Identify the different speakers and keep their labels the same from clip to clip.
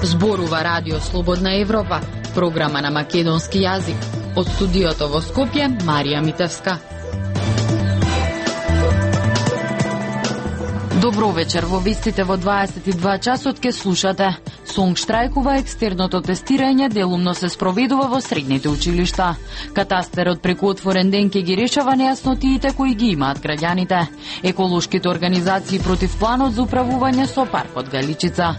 Speaker 1: Зборува Радио Слободна Европа, програма на македонски јазик. Од студиото во Скопје, Марија Митевска. Добро вечер, во вестите во 22 часот ке слушате. Сонг штрајкува, екстерното тестирање делумно се спроведува во средните училишта. Катастерот преку отворен ден ке ги решава нејаснотиите кои ги имаат граѓаните. Еколошките организации против планот за управување со паркот Галичица.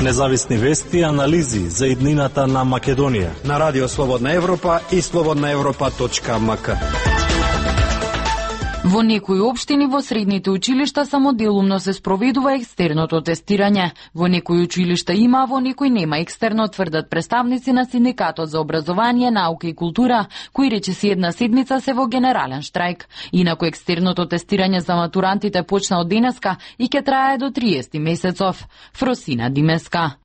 Speaker 2: Независни вести и анализи за иднината на Македонија
Speaker 3: на Радио Слободна Европа и slobodnaevropa.mk.
Speaker 1: Во некои општини во средните училишта само делумно се спроведува екстерното тестирање. Во некои училишта има, во некои нема екстерно, тврдат представници на Синдикатот за образование, наука и култура, кои речиси една седмица се во генерален штрајк. Инаку екстерното тестирање за матурантите почна од денеска и ќе трае до 30 месецов. Фросина Димеска.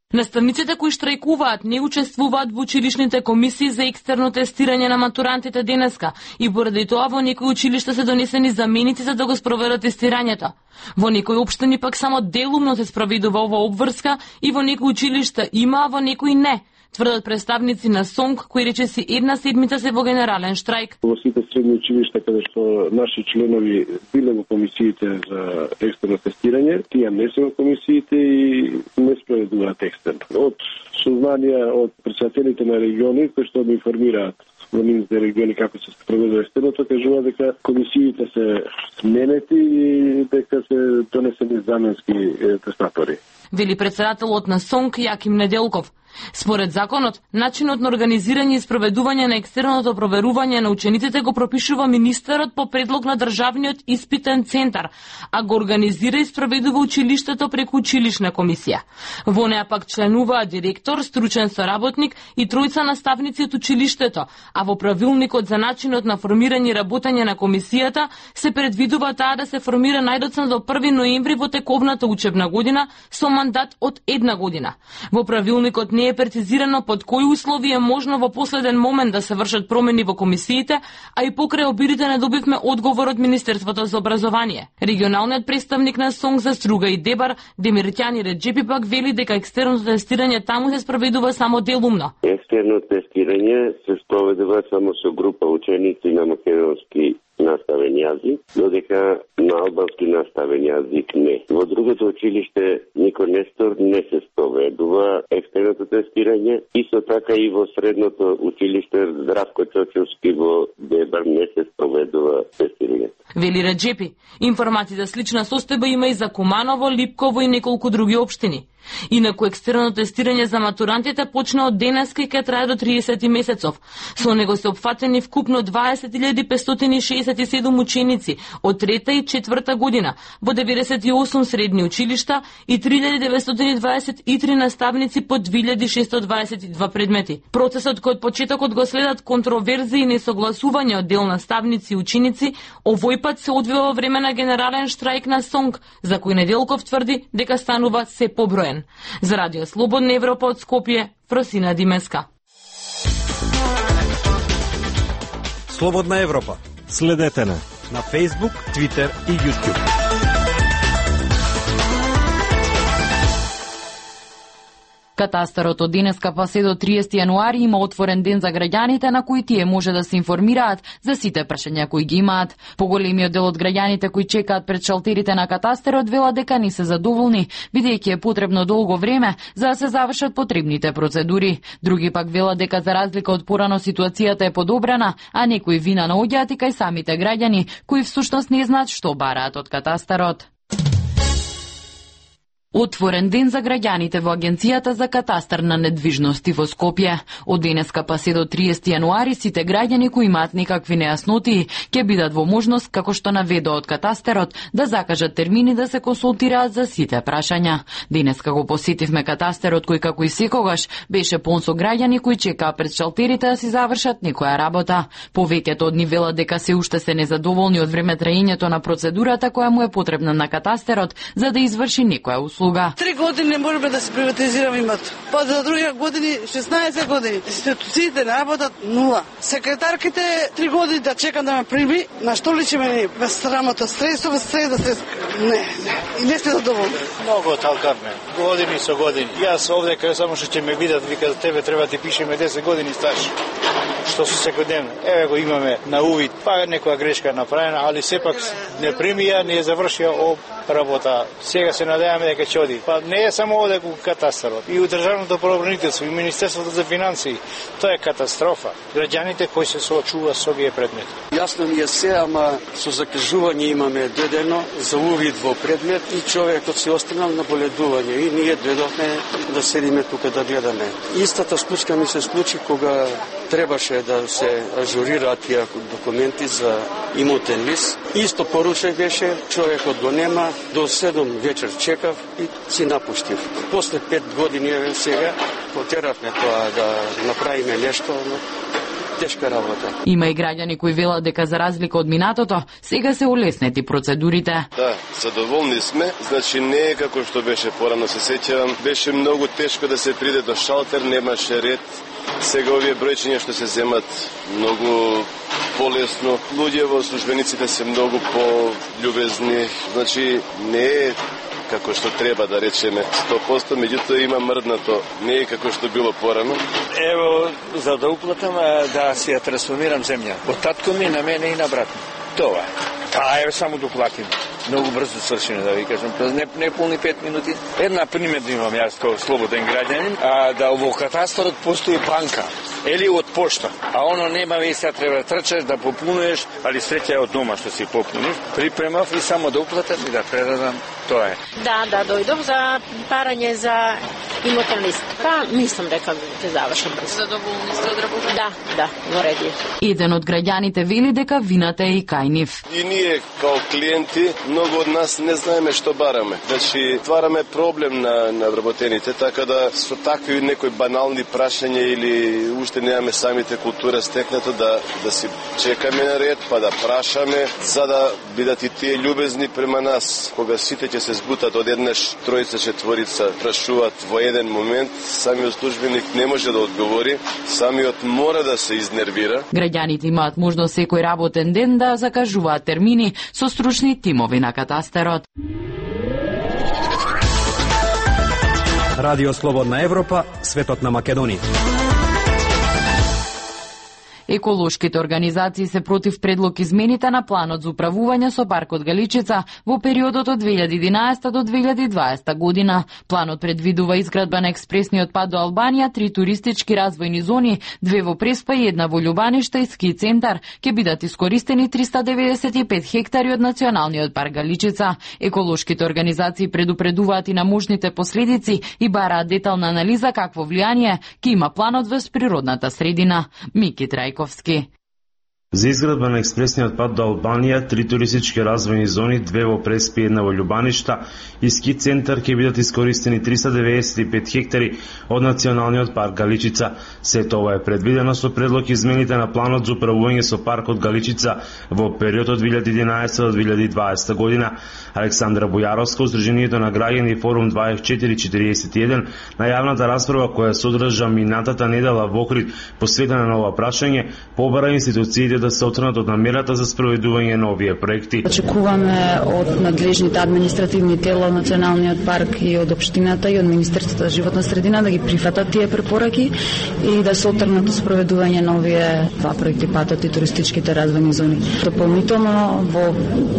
Speaker 4: Наставниците кои штрајкуваат не учествуваат во училишните комисии за екстерно тестирање на матурантите денеска и поради тоа во некои училишта се донесени заменици за да го спроведат тестирањето. Во некои општини пак само делумно се спроведува ова обврска и во некои училишта има, а во некои не. Тврдат представници на СОНГ, кои речиси една седмица се во генерален штрајк.
Speaker 5: Во сите средни училишта каде што наши членови биле во комисиите за екстерно тестирање, тие не се во комисиите и не спроведуваат екстерно. Од сознанија од претседателите на региони кои што ми информираат во нивните региони како се спроведува екстерното, кажува дека комисиите се сменети и дека се донесени заменски тестатори.
Speaker 4: Вели претседателот на СОНГ Јаким Неделков. Според законот, начинот на организирање и спроведување на екстерното проверување на учениците го пропишува министерот по предлог на Државниот испитен центар, а го организира и спроведува училиштето преку училишна комисија. Во неа пак членуваат директор, стручен соработник и тројца наставници од училиштето, а во правилникот за начинот на формирање и работење на комисијата се предвидува таа да се формира најдоцна до 1 ноември во тековната учебна година со мандат од 1 година. Во правилникот не е прецизирано под кои услови е можно во последен момент да се вршат промени во комисиите, а и покрај обидите не добивме одговор од Министерството за образование. Регионалниот представник на СОНГ за Струга и Дебар, Демиртјани Реджепи пак вели дека екстерното тестирање таму се спроведува само делумно.
Speaker 6: Екстерно тестирање се спроведува само со група ученици на македонски наставен јазик, додека на албански наставен јазик не. Во другото училиште Никој Нестор не се спроведува екстерното тестирање, исто така и во средното училиште Здравко Чочовски во Дебар не се спроведува тестирање.
Speaker 4: Вели Реджепи, информации за слична состојба има и за Куманово, Липково и неколку други општини. Инаку екстерно тестирање за матурантите почна од денеска и ќе трае до 30 месецов. Со него се опфатени вкупно 20.567 ученици од 3-та и 4-та година во 98 средни училишта и 3.923 наставници по 2.622 предмети. Процесот кој од почетокот го следат контроверзии и несогласување од дел наставници и ученици, овој пат се одвива во време на генерален штрајк на СОНГ, за кој Неделков тврди дека станува се поброен. За Радио Слободна Европа од Скопје, Фросина Димеска.
Speaker 3: Слободна Европа.
Speaker 2: Следете на
Speaker 3: Facebook, Twitter и YouTube.
Speaker 1: Катастерот од денеска па се до 30 јануари има отворен ден за граѓаните на кои тие може да се информираат за сите прашања кои ги имаат. Поголемиот дел од граѓаните кои чекаат пред шалтерите на катастерот велат дека не се задоволни, бидејќи е потребно долго време за да се завршат потребните процедури. Други пак велат дека за разлика од порано ситуацијата е подобрена, а некои вина наоѓаат и кај самите граѓани кои всушност не знаат што бараат од катастерот. Отворен ден за граѓаните во Агенцијата за катастар на недвижности во Скопје. Од денеска па се до 30 јануари сите граѓани кои имаат некакви нејаснотии ќе бидат во можност, како што наведува од катастерот, да закажат термини да се консултираат за сите прашања. Денеска го посетивме катастерот кој како и секогаш беше полн со граѓани кои чекаа пред шалтерите да си завршат некоја работа. Повеќето од нив велат дека се уште се незадоволни од време траењето на процедурата која му е потребна на катастерот за да изврши некоја услуга. услуга.
Speaker 7: 3 години не можеме да се приватизираме имот. Па за други години 16 години. Институциите не работат нула. Секретарките 3 години да чекам да ме прими, на што личи мене без срамота, средство, без средство. Не. И не сте задоволни.
Speaker 8: Много талкарне. Години со години. Јас овде кај само што ќе ме видат, вика за тебе треба ти пишеме 10 години стаж. Што се секојдневно. Еве го имаме на увид, па некоја грешка направена, али сепак не примија, не е завршија работа. Сега се надеваме дека ќе оди. Па не е само овде во катастарот. И у државното правобранителство, и Министерството за финансии. Тоа е катастрофа. Граѓаните кои се соочуваат со овие предмети.
Speaker 9: Јасно ми е се, ама со закажување имаме додено за увид во предмет и човекот се останал на боледување и ние дојдовме да седиме тука да гледаме. Истата случка ми се случи кога требаше да се ажурираат тие документи за имотен лист. Исто поручај беше, човекот го нема, до 7 вечер чекав и си напуштив. После 5 години сега потеравме тоа да направиме нешто, но тешка работа.
Speaker 1: Има и граѓани кои велат дека за разлика од минатото, сега се улеснети процедурите.
Speaker 10: Да, задоволни сме, значи не е како што беше порано, се сеќавам, беше многу тешко да се приде до шалтер, немаше ред. Сега овие бројчиња што се земат многу полесно. Луѓе во службениците се многу пољубезни, значи не е како што треба да речеме 100%, меѓутоа има мрднато, не е како што било порано.
Speaker 8: Ево, за да уплатам, да си ја трансформирам земја. Од татко ми на мене и на брат ми. Това. Таа е само да платим. Многу брзо свршено, да ви кажам. Не полни 5 минути. Една пример имам јас како слободен граѓанин, да во катастарот постои банка. Или од пошта. А оно нема веќе, треба да трчаш, да попунеш, али среќа е од дома што си попуниш. Припремав и само да уплатам и да предадам. Тоа е.
Speaker 11: Да, дојдов за парање за имотен лист. Па, мислам дека ќе заврши брзо.
Speaker 4: Задоволни сте од работа?
Speaker 11: Да, во ред е.
Speaker 1: Еден од граѓаните вели дека вината е и кај нив.
Speaker 10: И ние, као клиенти, многу од нас не знаеме што бараме. Значи, твараме проблем на вработените, така да со такви некои банални прашања или уште немаме самите култура стекнато да си чекаме на ред, па да прашаме, за да бидат и тие љубезни према нас. Кога сите ќе се збутат одеднаш, тројца, четворица, прашуваат во еден момент, самиот службеник не може да одговори, самиот мора да се изнервира.
Speaker 1: Граѓаните имаат можност секој работен ден да закажуваат термини со стручни тимови на катастарот.
Speaker 3: Радио Слободна Европа, светот на Македонија.
Speaker 1: Еколошките организации се против предлог измените на планот за управување со паркот Галичица во периодот од 2011 до 2020 година. Планот предвидува изградба на експресниот пат до Албанија, 3 туристички развојни зони, 2 во Преспа и 1 во Љубаниште и ски центар. Ќе бидат искористени 395 хектари од Националниот парк Галичица. Еколошките организации предупредуваат и на можните последици и бараат детална анализа какво влијание ќе има планот врз природната средина. Мики Трајковски.
Speaker 12: За изградба на експресниот пат до Албанија, 3 туристички развојни зони, 2 во Преспи и 1 во Љубаништа и ски центар ќе бидат искористени 395 хектари од Националниот парк Галичица. Сето ова е предвидено со предлог измените на планот за управување со паркот Галичица во период од 2011 до 2020 година. Александра Бојаровска, Сдруженијето на граѓани Форум 2441, на јавната расправа која се одржа минатата недела во Охрид посветена на ова прашање, побара институциите да се оттргнат од намерата за спроведување на овие проекти.
Speaker 13: Очекуваме од надлежните административни тела, Националниот парк и од општината и од Министерството за животна средина да ги прифатат тие препораки и да се оттргнат од спроведување на овие два проекти, патот и туристичките развојни зони. Дополнително во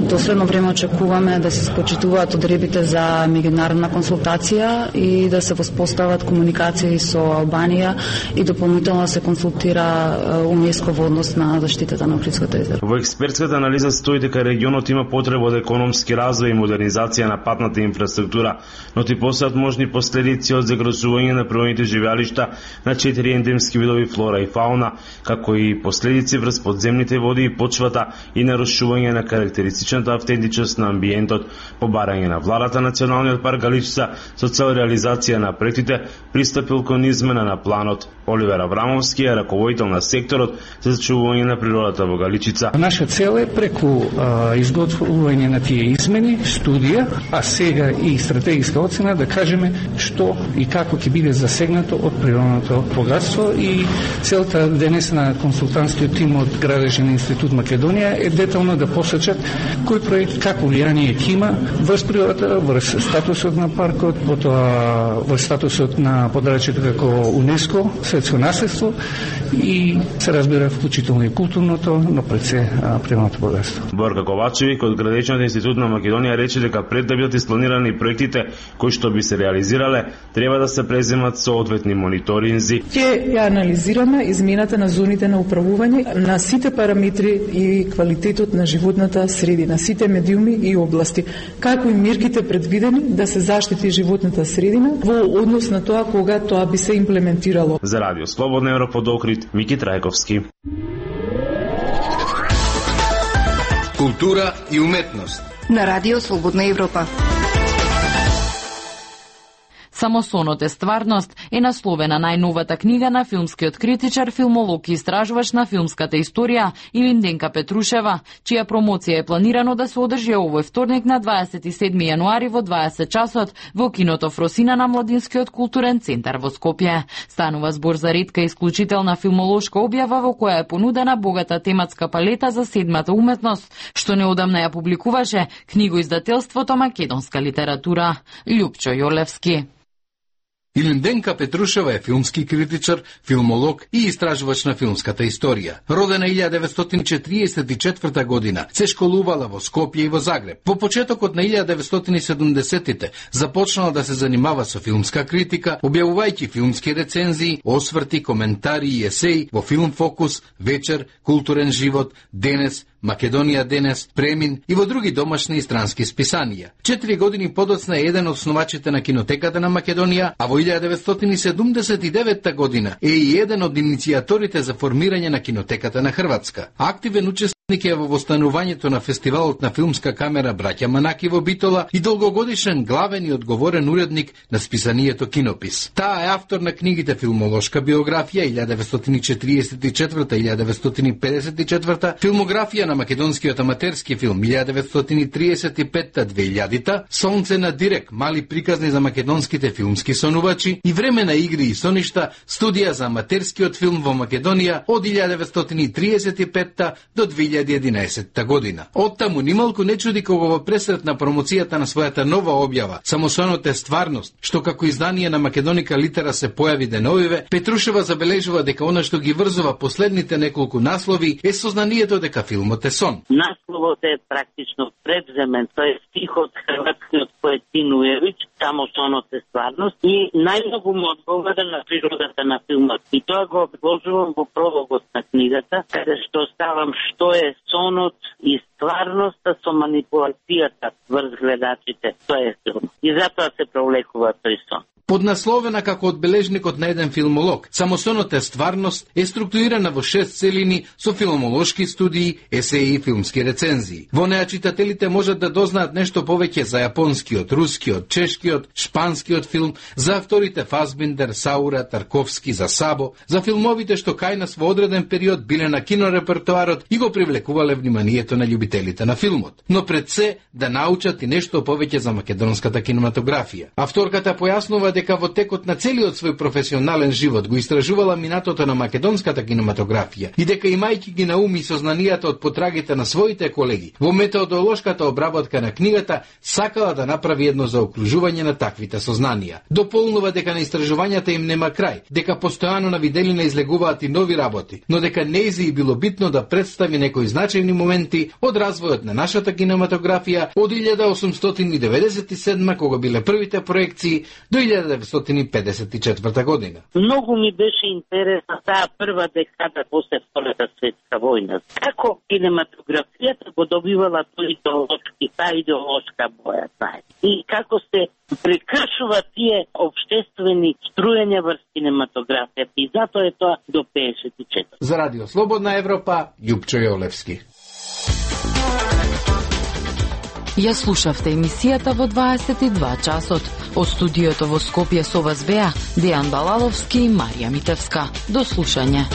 Speaker 13: доследно време очекуваме да се скочитуваат одребите за меѓународна консултација и да се воспостават комуникации со Албанија и дополнително да се консултира УНЕСКО во однос на заштитата на Охридското езеро.
Speaker 12: Во експертската анализа стои дека регионот има потреба од економски развој и модернизација на патната инфраструктура, но ти постојат можни последици од загрозување на природните живеалишта на 4 ендемски видови флора и фауна, како и последици врз подземните води и почвата и нарушување на карактеристичната автентичност на амбиентот. По барање на владата, Националниот парк Галичица со цел реализација на проектите пристапил кон измена на планот. Оливер Аврамовски е раководител на секторот за зачувување на природните природата во Галичица.
Speaker 14: Наша цел е преку изготвување на тие измени, студија, а сега и стратегиска оцена да кажеме што и како ќе биде засегнато од природното богатство, и целта денес на консултантскиот тим од Градежен институт Македонија е детално да посочат кој проект како влијание ќе има врз природата, врз статусот на паркот, потоа врз статусот на подрачјето како УНЕСКО, светско наследство, и се разбира вклучително и културното, но пред се природното богатство.
Speaker 12: Борка Ковачевик од Градежниот институт на Македонија рече дека пред да бидат испланирани проектите кои што би се реализирале, треба да се преземат соодветни мониторинзи.
Speaker 15: Ќе ја анализираме измената на зоните на управување на сите параметри и квалитетот на животната средина, сите медиуми и области, како и мерките предвидени да се заштити животната средина во однос на тоа кога тоа би се имплементирало.
Speaker 12: За Радио Слободна Европа од Охрид, Мики Трајковски.
Speaker 16: Култура и уметност
Speaker 17: на Радио Слободна Европа.
Speaker 1: Само сонот е стварност е насловена најновата книга на филмскиот критичар, филмолог и истражувач на филмската историја Илинденка Петрушева, чија промоција е планирано да се одржи овој вторник на 27 јануари во 20 часот во киното Фросина на Младинскиот културен центар во Скопје. Станува збор за ретка исклучителна филмолошка објава во која е понудена богата тематска палета за седмата уметност, што неодамна ја публикуваше книгоиздателството Македонска литература. Љупчо Јолевски.
Speaker 16: Илинденка Петрушева е филмски критичар, филмолог и истражувач на филмската историја. Родена 1944 година, се школувала во Скопје и во Загреб. Во почетокот на 1970-тите започнала да се занимава со филмска критика, објавувајќи филмски рецензии, осврти, коментари и есеи во Филм Фокус, Вечер, Културен живот, Денес, Македонија денес, Премин и во други домашни и странски списанија. 4 години подоцна е еден од основачите на Кинотеката на Македонија, а во 1979 година е и еден од иницијаторите за формирање на Кинотеката на Хрватска. Активен учесник е во востанувањето на фестивалот на филмска камера Браќа Манаки во Битола и долгогодишен главен и одговорен уредник на списанието Кинопис. Таа е автор на книгите Филмолошка биографија 1944-1954, Филмографија на македонскиот аматерски филм 1935-2000, Сонце на Дирек, мали приказни за македонските филмски сонувачи и Време на игри и соништа, студија за аматерскиот филм во Македонија од 1935 до 2011 година. Оттаму нималку не чуди кога во пресрет на промоцијата на својата нова објава Само сонот е стварност, што како издание на Македоника Литера се појави деновиве, Петрушева забележува дека она што ги врзува последните неколку наслови е сознанието дека филмот е сон.
Speaker 18: Насловот е практично превземен, тој е стих од хрватскиот поет Тинуевич, Само сонот е стварност, и најмногу му одговара на природата на филмот. И тоа го обложувам во прологот на книгата, каде што ставам што е сонот и стварноста со манипулацијата врз гледачите. Тоа е филм. И затоа се пролекува тој сон.
Speaker 16: Поднасловена како одбележникот на еден филмолог, Само сонот е стварност е структурирана во 6 целини со филмолошки студии, есеи и филмски рецензии. Во неа читателите можат да дознаат нешто повеќе за јапонскиот, рускиот, чешкиот, шпанскиот филм, за авторите Фасбиндер, Саура, Тарковски, за Сабо, за филмовите што кај нас во одреден период биле на кинорепертоарот и го привлекувале вниманието на љубителите на филмот. Но пред се да научат и нешто повеќе за македонската кинематографија. Авторката појаснува дека во текот на целиот свој професионален живот го истражувала минатото на македонската кинематографија и дека имајќи ги на ум и сознанијата од потрагите на своите колеги во методолошката обработка на книгата, сакала да направи едно заокружување на таквите сознанија. Дополнува дека на истражувањата им нема крај, дека постојано на виделина излегуваат и нови работи, но дека нејзи било битно да представи некои значајни моменти од развојот на нашата кинематографија од 1897 кога биле првите проекции до 1954 година.
Speaker 18: Многу ми беше интересна таа прва декада после Втората светска војна. Како кинематографијата го добивала таа идеолошка боја, знаете. И како се прекршува тие општествени струјања врз кинематографијата. И затоа е тоа до 54.
Speaker 16: За Радио Слободна Европа, Љупчо Јолевски.
Speaker 1: Ја слушавте емисијата во 22 часот. Од студиото во Скопје со вас беа Дејан Балаловски и Марија Митевска. До слушање.